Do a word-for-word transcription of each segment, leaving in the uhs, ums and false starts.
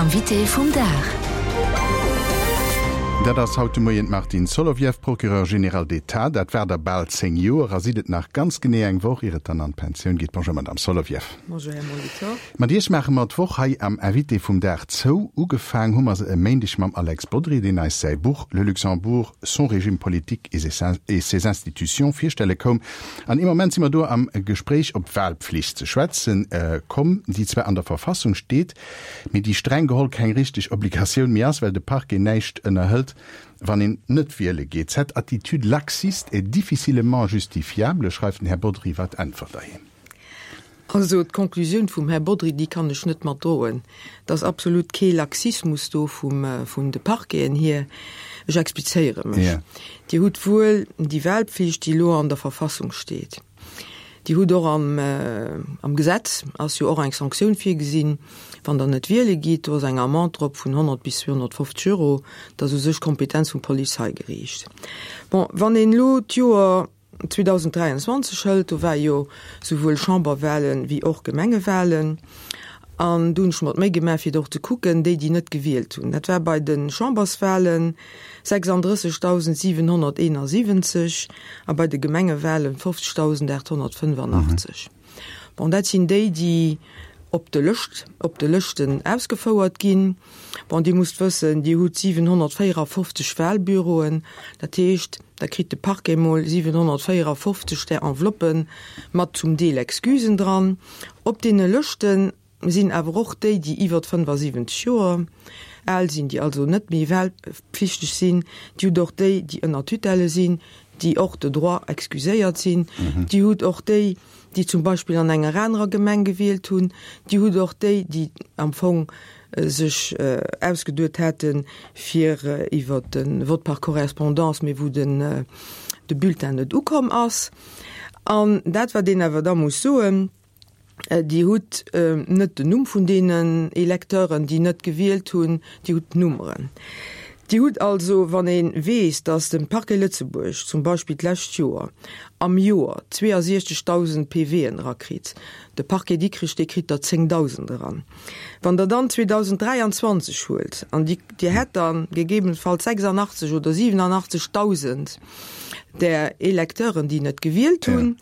Invité vum Dag. Dat ass haut de Moien d'Martine Solovieff, Procureur général d'État. Dat war der bal zéng Joer a sidd et nach ganz genee eng Woch, ier et dann an d'Pensioun geet. Bonjour Madame Solovieff. Bonjour Här Molitor. Mat Iech maache mer d'Woch hei am Invité vum Dag zou. Ugefaang hu mer se e Méindeg mam Alex Bodry, deen eis säi Buch Le Luxembourg, son régime politique et ses institutions virstelle koum. An im Moment si mer do am Gespréich op d'Wahlpflicht ze schwätzen komm, déi zwar an der Verfassung steet, mee déi streng geholl keng richteg Obligatioun méi ass, well de Parquet näischt ënnerhëlt, wann een net wiele geet. Cette attitude laxiste est difficilement justifiable, schreift den Här Bodry. Wat äntwert Der him? Also d'Konklusioun vum Här Bodry, déi kann ech net matdroen. Et ass absolut kee Laxismus do vum, vun de Parqueten hier. Ech explizéiere mech. Ja. Dir hutt wuel déi Wahlpflicht, déi elo an der Verfassung steet. Dir hutt och am, am Gesetz ass jo och eng Sanktioun virgesinn, wann Der net wiele gitt, do ass eng Amende drop vun honnert bis zweehonnertfofzeg Euro. Dat ass u sech d'Kompetenz vum Polizeigeriicht. Bon, wann een elo d'Joer zweedausenddräianzwanzeg hëlt, do war jo souwuel Chamberwahlen wéi och Gemengewahlen, an do hunn ech mer d'Méi gemaach, fir och ze kucken, déi, déi net gewielt hunn. Dat war bei de Chamberswahlen sechsandrëssegdausendsiwenhonnerteenasiwwenzeg a bei de Gemengewahlen fofzegdausendachthonnertfënnefannachtzeg. Bon, dat sinn déi, déi op de Lëscht, op de Lëschten ausgefouert ginn. Bon, Dir musst wëssen, Dir hutt siwenhonnertvéierafofzeg Wahlbüroen, dat heescht, da kritt de Parquet mol siwenhonnertvéierafofzeg där Enveloppen mat zum Deel Excusen dran. Op deene Lëschten sinn awer och déi, déi iwwert fënnefasiwwenzeg Joer al sinn, déi also net méi wahlpflichteg sinn. Dir hutt och déi, déi ënner Tutelle sinn, déi och de droit excuséiert sinn. Dir hutt och déi, déi zum Beispill an enger anerer Gemeng gewielt hunn. Dir hutt och déi, déi am Fong sech ausgeduet hätten, fir iwwert de Vote par correspondance, mee wou den de Bulletin net ukomm ass. An dat, wat een awer da muss soen, Dir hutt net den Numm vun deenen Electeuren, déi net gewielt hunn, Dir hutt d'Nummeren. Dir hutt also, wann ee weess, datt de Parquet Lëtzebuerg zum Beispill d'lescht Joer am Joer zweeasiechzegdausend PVen erakritt, de Parquet Dikrech, dee kritt der zéngdausend eran, wann Der dann zweedausenddräianzwanzeg huelt an Dir hätt dann gegebenenfalls sechsandachtzeg oder siwenanachtzegdausend där Electeuren, déi net gewielt hunn,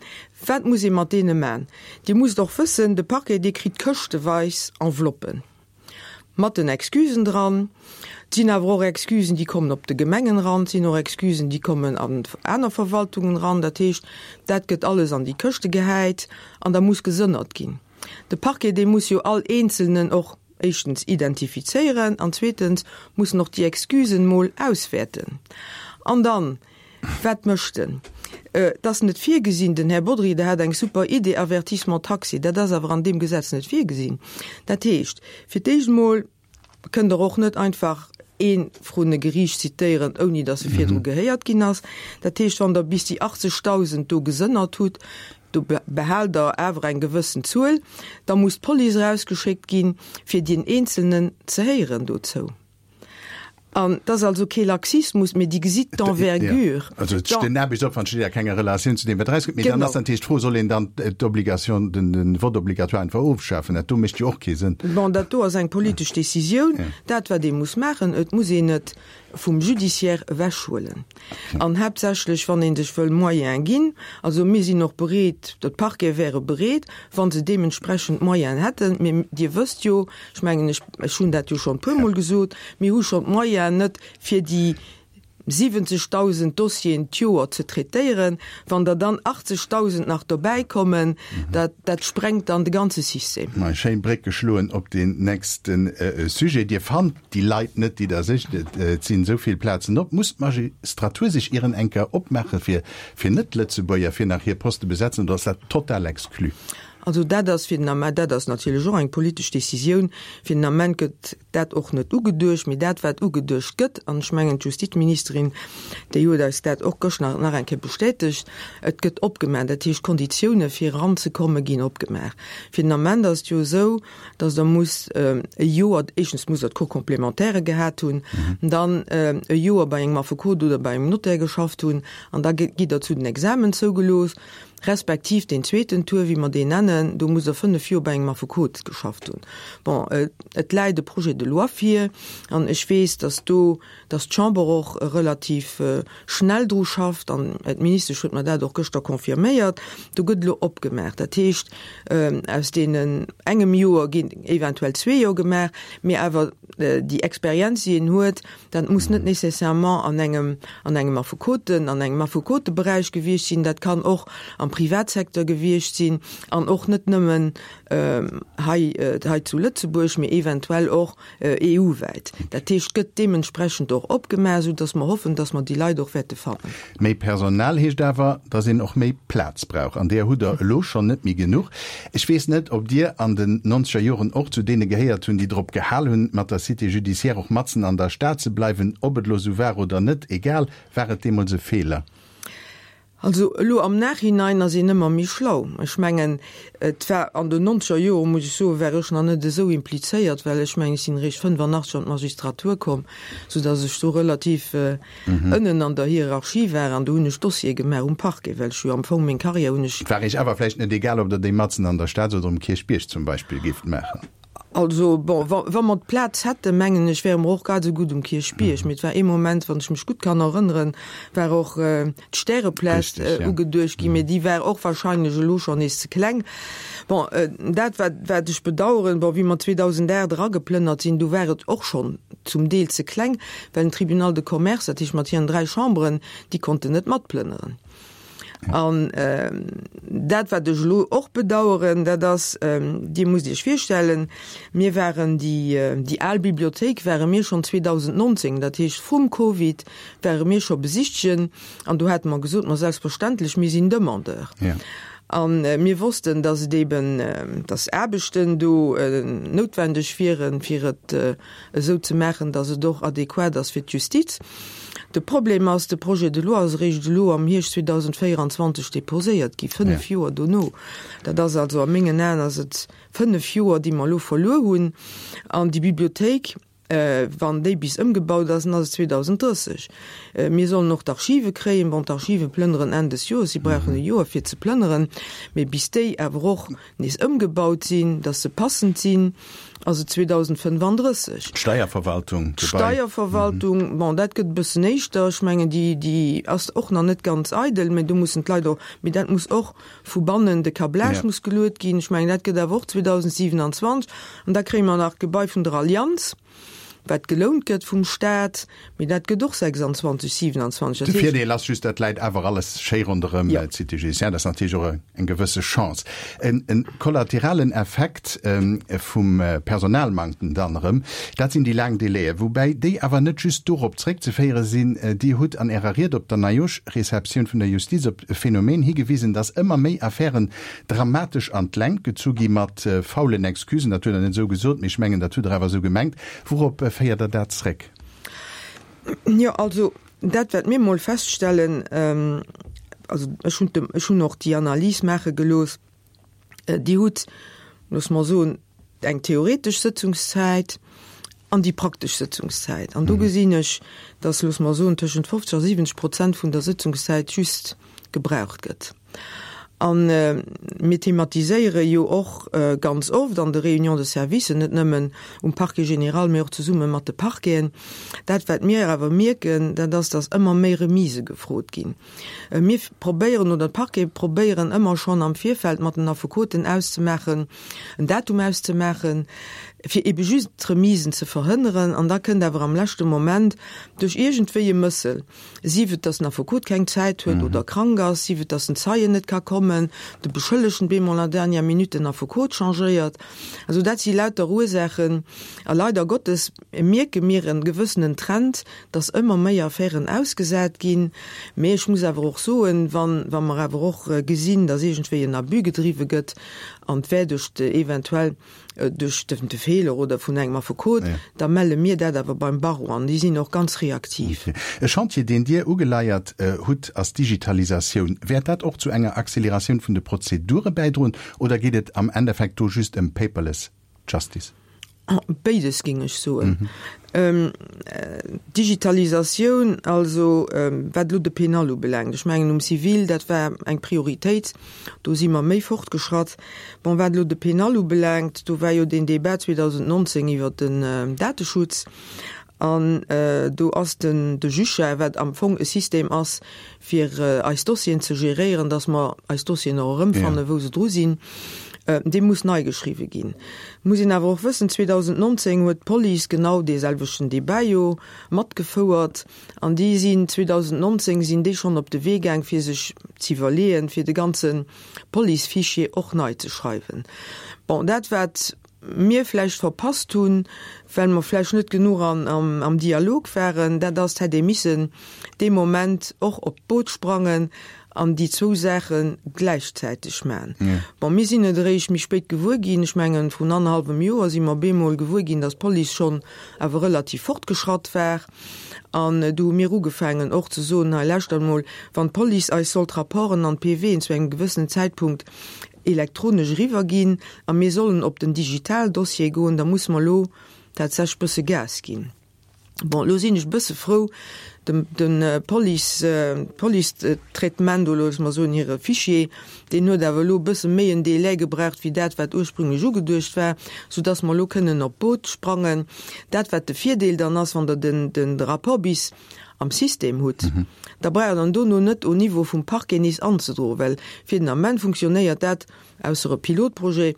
wat muss ee mat deene man? Dir musst och wëssen, de Parquet, dee kritt këschteweis Enveloppen mat den Excusen dran. Et sinn awer och Excusen, déi kommen op de Gemengen eran, et sinn och Excusen, déi kommen an aner Verwaltungen eran. Dat heescht, dat gëtt alles an déi Këschte gehäit an da muss gesënnert ginn. De Parquet, dee muss jo all Eenzelnen och éischtens identifizéieren an zweetens muss en och déi Excusen mol auswäerten. An dann, wat mécht en? Et ass net virgesinn, den Här Bodry, der hat eng super Idee, Avertissement taxé, dat ass awer an deem Gesetz net virgesinn. Dat heescht, fir d'éischt emol kënnt Der och net einfach ee vrun e Geriicht zitéieren, ouni datt e virdru gehéiert ginn ass. Dat heescht, wann Der bis déi achtzegdausend do gesënnert hutt, do behaalt Der awer eng gewëssen Zuel, da muss d'Police erausgeschéckt ginn, fir dien Eenzelnen ze héieren dozou. An et ass also kee Laxismus, mee Dir gesitt d'Envergure. Also den Aarbechtsopwand steet a kenger Relatioun zu deem, wat erauskënnt. Mee dann ass natierlech d'Fro, Soll een dann d'Obligation, den Vote obligatoire einfach ofschafen? Dat do mécht jo och kee Sënn. Bon, dat do ass eng politesch Décisioun. Dat, wat ee muss maachen, et muss een et vum Judiciaire ewechhuelen. An haaptsächlech, wann ee sech wëll Moyene ginn. Also mir sinn och bereet, d'Parquete wäre bereet, wa se deementsprechend Moyenen hätten. Mee Dir wësst jo, ech mengen, ech, ech hunn dat jo schonn e puermol gesot, mir hu schonn d'Moyenen net, fir déi siwwenzegdausend Dossieren d'Joer ze traitéieren. Wann der dann achtzegdausend nach dobäikommen, dat, dat sprengt dann de ganze System. Ma schéin Bréck geschloen op deen nächste Sujet. Dir fannt déi Leit net, déi Der sicht. Et sinn esou vill Plazen op. Muss d'Magistratur sech ieren enker opmaache fir, fir Net-Lëtzebuerger, fir nach hir Poste besetzen, oder ass dat total exclu? Also dat ass fir den Ament, dat ass natierlech och eng politesch Décisioun, fir den Ament gëtt dat och net ugeduecht. Mee dat, wat ugeduecht gëtt, an ech mengen d'Justizministerin, déi huet eis dat och gëscht nach nach eng Kéier bestätegt, et gëtt opgemaach, dat heescht d'Konditioune fir eranzekomme ginn opgemaach. Fir den Ament ass et jo esou, datt Der musst e Joer, éischtens musst Der d'Cours complémentaire gehat hunn, dann e Joer bei engem Affekot oder bei engem Notaire geschafft hunn an da gitt Der zu den Examen zougelooss. Respektiv deen zweeten Tour, wéi mer deen nennen, do musst Der fënnef Joer bei engem Affekot geschafft hunn. Bon, et läit e Projet de loi vir an ech weess, dass do, dass d'Chamber och relativ schnell dru schafft an d'Ministesch huet mer dat och gëschter confirméiert. Do gëtt elo opgemaach. Dat heescht, aus deenen engem Joer ginn eventuell zwee Joer gemaach, mee awer déi Experienz, déi een huet, dat muss net nécessairement an engem, an engem Affekoten, an engem Affekoteberäich gewiescht sinn, dat kann och am Privatsecteur gewiescht sinn an och net nëmmen hei, hei zu Lëtzebuerg, mee eventuell och E U-wäit. Dat heescht, gëtt deementsprechend och opgemaach, soudass mer hoffen, dass mer déi Leit och wäerte fannen. Méi Personal heescht awer, dass een och méi Plaz brauch, an deeër hutt Der elo schonn net méi genuch. Ech weess net, ob Dir an den nonzeger Joren och zu deene gehéiert hunn, déi drop gehal hunn, mat der Cité judiciaire och matzen an der Stad ze bleiwen. Ob et elo esou war oder net, egal, war et deemools e Feeler? Also elo am Nachhinein ass een ëmmer méi schlau. Ech mengen, et war an den nonzeger Joren, muss ech soen, war ech nach net esou implizéiert, well ech mengen, ech sinn eréischt fënnefanachteg an d'Magistratur komm, soudass ech do relativ ënnen an der Hierarchie war an do hunn ech Dossiere gemaach um Parquet, well ech jo am Fong meng Carrière hunn ech. Et war Iech awer vläicht net egal, ob Der déi matzen an der Stad oder um Kierchbierg zum Beispill géift maachen? Also, bon, wa, wa mer d'Plaz hätten, mengen ech, wäre mer och grad esou gutt um Kierchbierg. Mee et war ee Moment, wann ech mech gutt kann erënneren, war och d'Stäreplaz ugeduecht ginn, mee déi war och wahrscheinlech elo schonn nees ze kleng. Bon, dat, wat, wat ech bedauern, bon, wéi mer zweedausendacht erageplënnert sinn, do war et och schonn zum Deel ze kleng, well den Tribunal de Commerce, dat heescht mat hiren dräi Chamberen, déi konnten net matplënneren. An dat, wat ech elo och bedauern, dat ass, Dir musst Iech virstellen, mir waren déi, déi al Bibliothéik ware mir schonn zweedausendnonzéng, dat heescht vrum Covid, ware mir scho besichtegen an do hate mer gesot, ma selbstverständlech, mir sinn Demandeur. A mir wossten, dass et eben, dass Aarbechten do noutwendeg wieren, fir et esou ze maachen, dass et och adequat ass fir d'Justiz. De Problem ass, de Projet de loi ass eréischt elo am Hierscht zweedausendvéieranzwanzeg déposéiert gi, fënnef Joer dono. Dat ass also, a mengen Aen ass et fënnef Joer, déi mer elo verluer hunn. An déi Bibliothéik, wann déi bis ëmgebaut ass, dann ass et zweedausenddrësseg. Mir sollen och d'Archive kréien. Bon, d'Archive plënneren Enn des Joers, si brauchen e Joer fir ze plënneren, mee bis déi awer och nees ëmgebaut sinn, dass se passend sinn, ass et zweedausendfënnefanddrësseg. D'Steierverwaltung, d'Gebai. D'Steierverwaltung, bon, dat gëtt e bëssen éischter. Ech mengen, déi, déi ass och nach net ganz eidel, mä do mussen d'Leit och, mee dat muss och vu bannen, de Câblage muss geluet ginn. Ech mengen, dat gëtt awer och zweedausendsiewenanzwanzeg. An da kréie mer nach d'Gebai vun der Allianz, wat gelount gëtt vum Stat, mee dat gëtt och sechsanzwanzeg, siewenanzwanzeg. De Virdeel ass just, dat läit awer alles schéi ronderëm d'Cité judiciaire. Dat ass natierlech och eng gewësse Chance. En kollateralen Effekt vum Personalmanktem dann erëm, dat sinn déi laang Délaië, woubäi déi awer net just dorop zréckzeféiere sinn. Dir hutt an Ärer Ried op der Neijoschreceptioun vun der Justiz op e Phänomen higewisen, dass ëmmer méi Affären dramatesch an d'Längt gezu gi mat faulen Excusen. Dat hutt Der net esou gesot, mee ech mengen, dat hutt Der awer esou gemengt. Wourop féiert Der dat zréck? Jo, also dat, wat mir emol feststellen, also ech hunn de, ech hunn och déi Analys maache gelooss, Dir hutt, loosse mer soen, eng theoretesch Sëtzungszäit an déi praktesch Sëtzungszäit. An do gesinn ech, dass, loosse mer soen, tëschent fofzeg a siwwenzeg Prozent vun der Sëtzungszäit just gebraucht gëtt. A mir thematiséiere jo och ganz oft an de Réunions de service, net nëmmen um Parquet général, mee och zesumme mat de Parqueten. Dat, wat mir awer mierken, dat ass, dass ëmmer méi Remisë gefrot ginn. Mir probéieren, oder d'Parquete probéieren ëmmer schonn am Virfeld mat den Affekoten auszemaachen, en Datum auszemaachen, fir ebe just d'Remisen ze verhënneren. An da kënnt awer am leschte Moment duerch iergendwéi e Mëssel, sief et, dass den Affekot keng Zäit huet oder krank ass, sief et, dass den Zeien net ka kommen, de Beschëllegten bemol à la dernière minute den Affekot changéiert. Also dat si lauter Ursaachen. A leider Gottes mierke mir e gewëssenen Trend, dass ëmmer méi Affären ausgesat ginn. Mee ech muss awer och soen, wann, wa mer awer och gesinn, dass iergendwéi en Abus gedriwwe gëtt an d'wär duerch eventuell duerch de Feeler oder vun engem Affekot, da melle mir dat awer beim Barreau an déi sinn och ganz reaktiv. E Chantier, deen Dir ugeleiert hutt, ass d'Digitalisatioun. Wäert dat och zu enger Acceleratioun vun de Prozedure bäidroen oder geet et am Endeffekt do just ëm paperless justice? Béides géing ech soen. Digitalisatioun, also wat elo de Pénal ubelaangt, ech mengen um Civil, dat war eng Prioritéit, do si mer méi fortgeschratt. Bon, wat elo de Pénal ubelaangt, do war jo deen Débat zweedausendnonzéng iwwert den Dateschutz an do ass den de Juge, wat am Fong e System ass, fir eis Dossieren ze geréieren, dass mer eis Dossieren och erëmfannen, wou se dru sinn, dee muss nei geschriwwe ginn. Muss een awer och wëssen, zweedausendnonzéng huet d'Police genau dee selwechten Débat jo matgefouert an déi sinn zweedausendnonzéng sinn déi schonn op de Wee gaang, fir sech z'iwwerleeën, fir de ganze Policefichier och nei ze schreiwen. Bon, dat wat mir vläicht verpasst hunn, well mer vläicht net genuch am Dialog waren, dat ass, 't hätt ee missen dee Moment och op d'Boot sprangen an déi zwou Saache gläichzäiteg maachen. Bon, mir sinn et eréischt méi spéit gewuer ginn, ech mengen, vrun annerhallwem Joer si mer bemol gewuer ginn, datt d'Police schonn awer relativ fortgeschratt war. An du hu mir ugefaangen och ze soen, hei lauschtert emol, wann d'Police eis soll d'Rapporten an d'PVen zu engem gewëssenen Zäitpunkt elektronesch eriwwer ginn a mir sollen op den Digitaldossier goen, da musse mer elo tatsächlech bësse Gas ginn. Bon, elo sinn ech e bësse frou, de de Police, d'Police-Traitement do, loosse mer soen, hire Fichier, deen huet awer elo e bësse méi en Délai gebraucht wéi dat, wat ursprünglech ugeduecht war, soudass mer elo kënnen op d'Boot sprangen. Dat, wat de Virdeel dann ass, wann Der den de Rapport bis am System hutt, da braucht Der en dono net au Niveau vum Parquet nees anzedroen, well fir den Ament funktionéiert dat, ausser e Pilotprojet,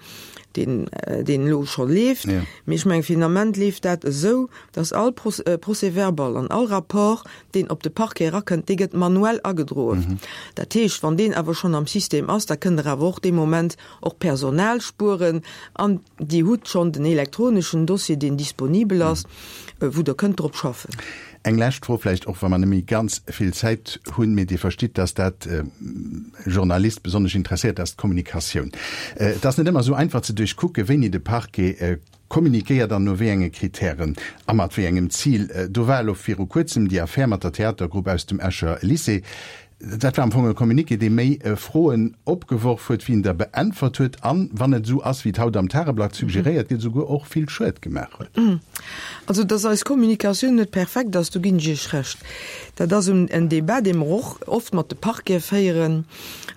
deen deen elo scho leeft. Mee ech mengen, fir den Ament leeft dat esou, datt all Procès-verbal an all Rapport, deen op de Parquet erakënnt, dee gëtt manuell agedroen. Dat heescht, wann deen awer schonn am System ass, da kënnt Der awer och dee Moment och Personal spueren an Dir hutt schonn den elektroneschen Dossier, deen disponibel ass, wou Der kënnt drop schaffen. Eng lescht Fro vläicht, och wa mer net méi ganz vill Zäit hunn, mee Dir verstitt, dass dat e Journalist besonnesch interesséiert, dat ass d'Kommunikatioun. Et ass net ëmmer esou einfach ze duerchkucken, wéini de Parquet kommuniquéiert an no wéi enge Kritären a mat wéi engem Zil. Do war elo viru Kuerzem déi Affär mat der Theatergrupp aus dem Escher Lycée. Dat war am Fong e Communiqué, dee méi Froen opgeworf huet, wéi en der beäntwert huet an, wann et esou ass, wéi et haut am Tageblatt suggeréiert gëtt, esouguer och vill Schued gemaach huet. Also, dass eis Kommunikatioun net perfekt ass, do ginn ech Iech Recht. Dat ass en Débat, dee mer och oft mat de Parquete féieren.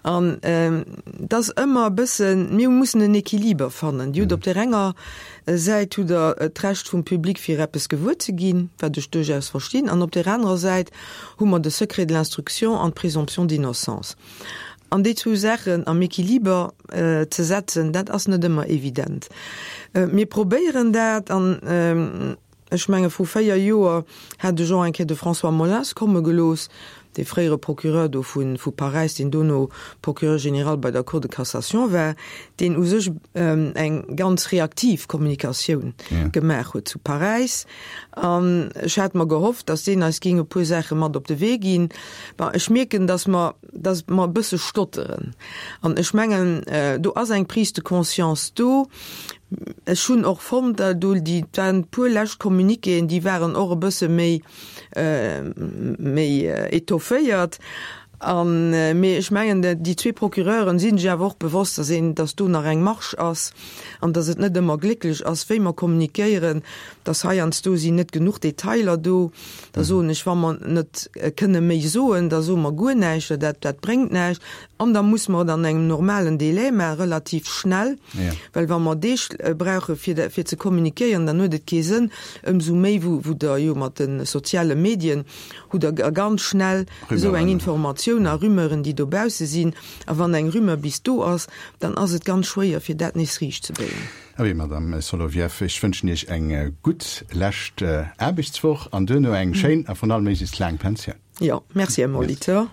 An et ass ëmmer e bëssen, mir mussen en Équiliber fannen. Dir hutt op där enger Säit hutt Der d'Recht vum Public fir eppes gewuer ze ginn, wat ech duerchaus verstinn, an op där anerer Säit hu mer de Secret de l'instruction an d'Présomption d'innocence. An déi zwou Saachen am Équiliber ze setzen, dat ass net ëmmer evident. Mir probéieren dat an ech menge vru véier Joer hat ech och eng Kéier de François Molins komme gelooss, dee fréiere Procureur do vu vu Paräis, deen dono Procureur général bei der Cour de cassation war, deen u sech eng ganz reaktiv Kommunikatioun gemaach huet zu Paräis. An ech hat mer gehofft, datt deen eis géing e puer Saache mat op de Wee ginn. Bon, ech mierken, datt mer, datt mer e bësse stotteren. An ech mengen, do ass eng Prise de conscience do. Ech hunn och fonnt, do déi, et waren e puer lescht Communiquéen, déi waren och e bësse méi, méi étofféiert. An, mee ech mengen, déi zwee Procureuren si sech awer och bewosst, dass een, dass do nach eng Marge ass an dass et net ëmmer glécklech ass, wéi mer kommunikéieren, dass heiansdo sinn net genuch Detailer do. Da soen ech, wa mer net kënne méi soen, da soe mer guer näischt, well dat, dat bréngt näischt. An da muss mer et an engem normalen Délai maachen, relativ schnell, well wa mer Deeg brauche fir, fir ze kommunikéieren, dann huet et kee Sënn, ëmsou méi wou, wou Der jo mat de soziale Medien hutt Der ganz schnell esou eng Informatioun a Rumeuren, déi dobausse sinn. A wann eng Rumeur bis do ass, dann ass et ganz schwéier, fir dat nees riichtzebéien. Abee, Madame Solovieff, ech wënschen Iech eng gutt lescht Aarbechtswoch an duerno eng schéin a vrun allem méiglechst laang Pensioun. Jo, merci, Här Molitor.